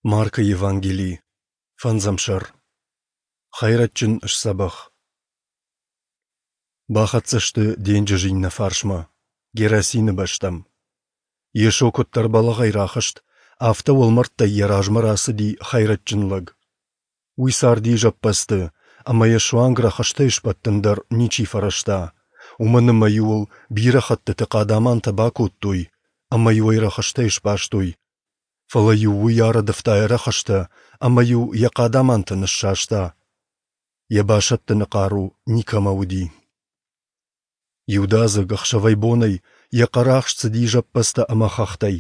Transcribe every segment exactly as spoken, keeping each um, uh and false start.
Маркы Евангели, фӕндзӕм сӕр. Хӕйрӕджджын сдзӕбӕх. Бахӕццӕ сты денджызы иннӕ фарсмӕ, Герасины бӕстӕм. Йесо куыддӕр бӕлӕгъӕй рахызт, афтӕ уӕлмӕрдтӕй йӕ размӕ рацыди хӕйрӕджджын лӕг. Уый царди зӕппӕдзты, ӕмӕ йӕ суанг рӕхыстӕй сбӕттын дӕр ничи фӕрӕзта, уымӕн ӕмӕ-иу ыл бирӕ хӕттыты хъадамантӕ бакодтой ӕмӕ-иу ӕй рӕхыстӕй сбастой. Фӕлӕ-иу уый арӕдывта йӕ рӕхыстӕ ӕмӕ-иу йӕ хъадамантӕ ныссаста. Йӕ басӕттыны хъару никӕмӕ уыди. Иудадзыг, ӕхсӕвӕй-бонӕй, йӕ хъӕрахст цыди зӕппӕдзтӕ ӕмӕ хӕхтӕй,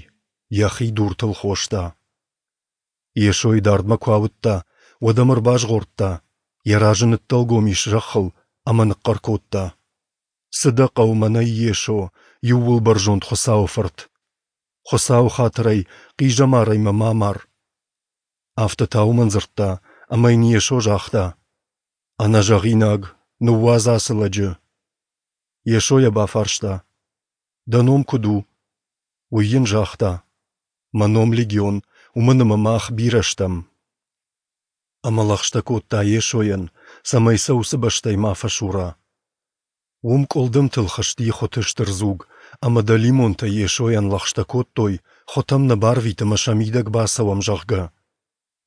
йӕхи дуртыл хоста. Йесойы дардмӕ куы ауыдта, уӕд ӕм ӕрбазгъордта, йӕ разы ныддӕлгом ис зӕххыл ӕмӕ ныхъхъӕр кодта: Цы дӕ хъӕуы мӕнӕй, Йесо, Иууылбӕрзонд Хуыцауы Фырт? Хуыцауы хатырӕй, хъизӕмарӕй мӕ ма мар. Афтӕ та уымӕн дзырдта, ӕмӕ йын Йесо загъта: Ӕнӕзӕгъинаг, ныууадз ацы лӕджы. Йесо йӕ бафарста: Дӕ ном куыд у? Уый йын загъта: Мӕ ном Легион, уымӕн ӕмӕ мах бирӕ стӕм. Ӕмӕ лӕгъстӕ кодта Йесойӕн, цӕмӕй сӕ уыцы бӕстӕй ма фӕсура. Уым къуылдымтыл хызти хуыты стыр дзуг, ӕмӕ дӕлимонтӕ Йесойӕн лӕгъстӕ кодтой, хуытӕм нӕ барвит ӕмӕ сӕ мидӕг бацӕуӕм, зӕгъгӕ.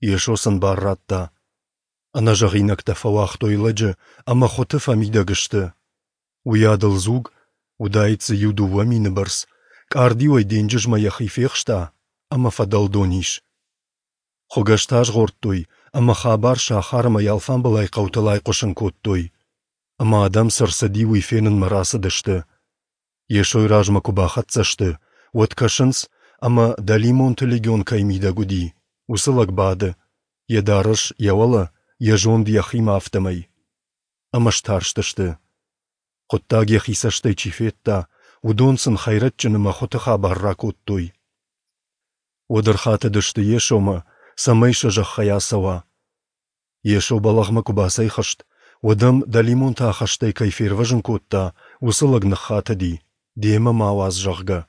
Йесо сын бар радта. Ӕнӕзӕгъинӕгтӕ фӕуагътой лӕджы, ӕмӕ хуыты фӕмидӕг сты. Уыйадыл дзуг, уыдаид дзы иу-дыууӕ мины бӕрц, къардиуӕй денджызмӕ йӕхи фехста ӕмӕ фӕдӕлдон ис. Хуыгӕстӕ азгъордтой ӕмӕ хабар сахар ӕмӕ йӕ алфамбылай хъӕутыл айхъуысын кодтой. Ӕмӕ адӕм, цы рцыди, уый фенынмӕ рацыдысты. Йесойы размӕ куы бахӕццӕ сты, уӕд кӕсынц, ӕмӕ, дӕлимонты легион кӕй мидӕг уыди, уыцы лӕг бады, йӕ дарӕс йӕ уӕлӕ, йӕ зонд йӕхимӕ, афтӕмӕй. Ӕмӕ старстысты. Хъуыддаг йӕхи цӕстӕй чи федта, уыдон сын хӕйрӕджджын ӕмӕ хуыты хабар ракодтой. Уӕд ӕрхатыдысты Йесомӕ, цӕмӕй сӕ зӕххӕй ацӕуа. Йесо бӕлӕгъмӕ куы бацӕйхызт, уӕд ӕм, дӕлимонты ахӕстӕй кӕй фервӕзын кодта, уыцы лӕг ныххатыди, демӕ мӕ ауадз, зӕгъгӕ.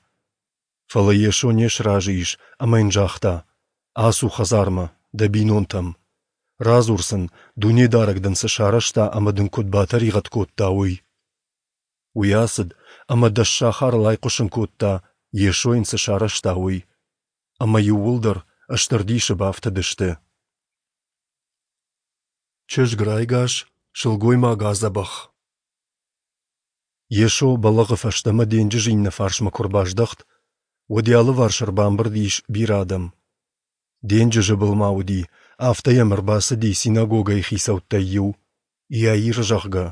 Фӕлӕ Йесо не сразы ис ӕмӕ йын загъта: Ацу хӕдзармӕ, дӕ бинонтӕм. Радзур сын, Дунедарӕг дын цы сарӕзта ӕмӕ дын куыд батӕригъӕд кодта, уый. Уый ацыд ӕмӕ дӕс сахарыл айхъуысын кодта, Йесо йын цы сарӕзта, уый. Ӕмӕ иууылдӕр стыр дисы бафтыдысты. Чызг райгас, сылгоймаг адзӕбӕх. Йесо бӕлӕгъы фӕстӕмӕ денджызы иннӕ фарсмӕ куы ӕрбаздӕхт, уӕд йӕ алыварс ӕрбамбырд ис бирӕ адӕм. Денджызы былмӕ уыди, афтӕ йӕм ӕрбацыди синагогӕйы хицӕуттӕй иу, Иаир, зӕгъгӕ.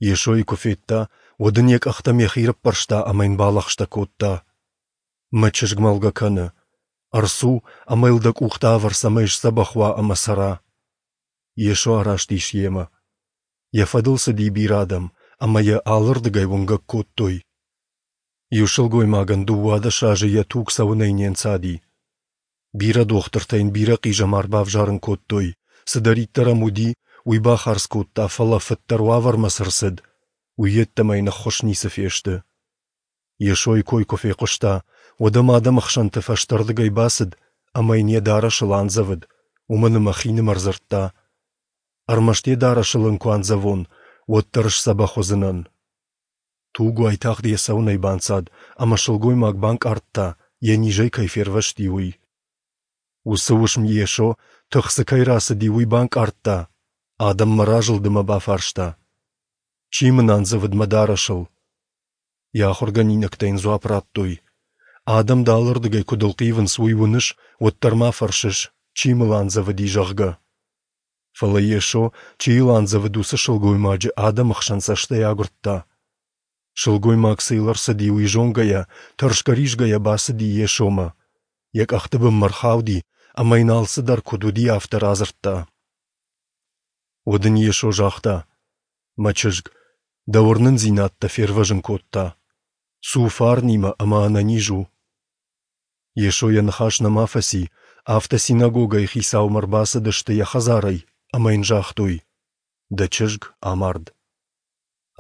Йесойы куы федта, уӕд ын йӕ къӕхтӕм йӕхи рыппӕрста ӕмӕ йын балӕгъстӕ кодта: Мӕ чызг мӕлгӕ кӕны. Ӕрцу ӕмӕ йыл дӕ къухтӕ авӕр, цӕмӕй сдзӕбӕх уа ӕмӕ цӕра. Йесо араст ис йемӕ. Йӕ фӕдыл цыди бирӕ адӕм, ӕмӕ йӕ алырдыгӕй уынгӕг кодтой. Иу сылгоймагӕн дыууадӕс азы йӕ туг цӕуынӕй не нцади. Бирӕ дохтыртӕ йын бирӕ хъизӕмар бавзарын кодтой, цыдӕриддӕр ӕм уыди, уый бахардз кодта, фӕлӕ фыддӕр уавӕрмӕ цы рцыд, уый йеддӕмӕ йын ӕххуыс ницы фесты. Йесойы кой куы фехъуыста, уӕд ӕм адӕмы хсӕнты фӕстӕрдыгӕй бацыд ӕмӕ йын йӕ дарӕсыл андзӕвыд, уымӕн ӕмӕ хинымӕр дзырдта: Ӕрмӕст йӕ дарӕсыл ын куы андзӕвон, уӕддӕр сдзӕбӕх уыдзынӕн. Туг уайтагъд йӕ цӕуынӕй банцад, ӕмӕ сылгоймаг банкъардта, йӕ низӕй кӕй фервӕзти, уый. Уыцы уысм Йесо, тых дзы кӕй рацыди, уый банкъардта, адӕммӕ разылд ӕмӕ бафарста: Чи мын андзӕвыд мӕ дарӕсыл? Йӕ ахуыргӕнинӕгтӕ йын дзуапп радтой: Адӕм дӕ алырдыгӕй куыд ӕлхъивынц, уый уыныс, уӕддӕр ма фӕрсыс, чи мыл андзӕвыди, зӕгъгӕ. Фӕлӕ Йесо, чи йыл андзӕвыд, уыцы сылгоймаджы адӕмы хсӕн цӕстӕй агуырдта. Сылгоймаг, цы йыл ӕрцыди, уый зонгӕйӕ, тӕрсгӕ-ризгӕйӕ бацыди Йесомӕ. Йӕ къӕхты бынмӕ ӕрхауди ӕмӕ йын алцыдӕр куыд уыди, афтӕ радзырдта. Уӕд ын Йесо загъта: Мӕ чызг, дӕ уырнындзинад дӕ фервӕзын кодта. Цу фарнимӕ ӕмӕ ӕнӕниз у. Йесо йӕ ныхас нӕма фӕци, афтӕ синагогӕйы хицаумӕ ӕрбацыдысты йӕ хӕдзарӕй ӕмӕ йын загътой: Дӕ чызг амард.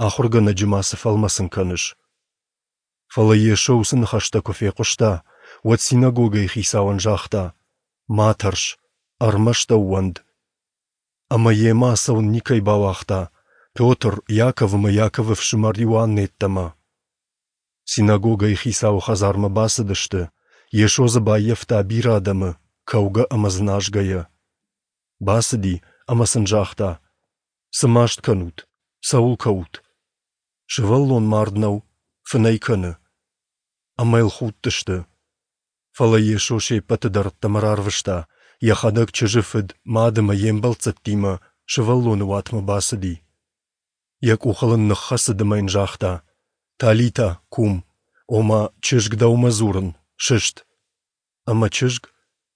Ахуыргӕнӕджы ма цы фӕлмӕцын кӕныс? Фӕлӕ Йесо уыцы ныхӕстӕ куы фехъуыста, уӕд синагогӕйы хицауӕн загъта: Ма тӕрс, ӕрмӕст ӕууӕнд. Ӕмӕ йемӕ ацӕуын никӕй бауагъта, Петр, Иаков ӕмӕ Иаковы фсымӕр Иоанны йеддӕмӕ. Синагогӕйы хицауы хӕдзармӕ бацыдысты, Йесо дзы баййӕфта бирӕ адӕмы, кӕугӕ ӕмӕ дзыназгӕйӕ. Бацыди ӕмӕ сын загъта: Цы маст кӕнут, цӕуыл кӕут? Сывӕллон мард нӕу, фынӕй кӕны. Ӕмӕ йыл худтысты. Фӕлӕ Йесо се ппӕты дӕр ӕддӕмӕ рарвыста, йӕхӕдӕг чызджы фыд, мад ӕмӕ йе мбӕлццӕттимӕ сывӕллоны уатмӕ бацыди. Йӕ къухыл ын ныххӕцыд ӕмӕ йын загъта: Талита, кум, ома, чызг, дӕумӕ дзурын, сыст. Ӕмӕ чызг,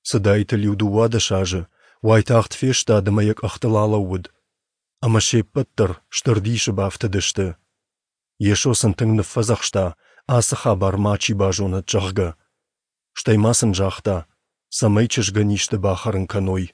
цыдаид ыл иу дыууадӕс азы, уайтагъд фестад ӕмӕ йӕ къӕхтыл алӕууыд. Ӕмӕ се ппӕт дӕр стыр дисы бафтыдысты. Йесо сын тынг ныффӕдзӕхста, ацы хабар мачи базонӕд, зӕгъгӕ. Стӕй ма сын загъта, цӕмӕй чызгӕн исты бахӕрын кӕной.